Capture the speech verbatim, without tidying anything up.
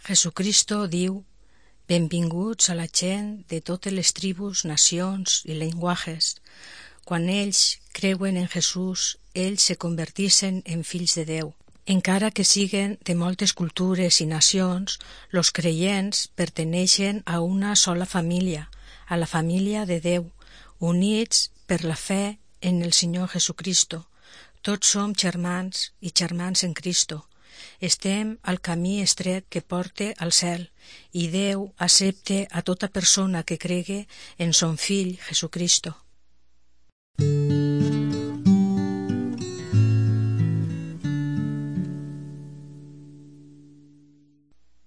Jesucristo diu: benvinguts a la gent de totes les tribus, nacions i llenguatges. Quan ells creuen en Jesús, ells se convertixen en fills de Déu. Encara que siguen de moltes cultures i nacions, los creients perteneixen a una sola família, a la família de Déu, units per la fe en el Senyor Jesucristo. Tots som germans i germans en Cristo. Estem al camí estret que porta al cel, i Déu accepta a tota persona que cregue en son Fill Jesucristo.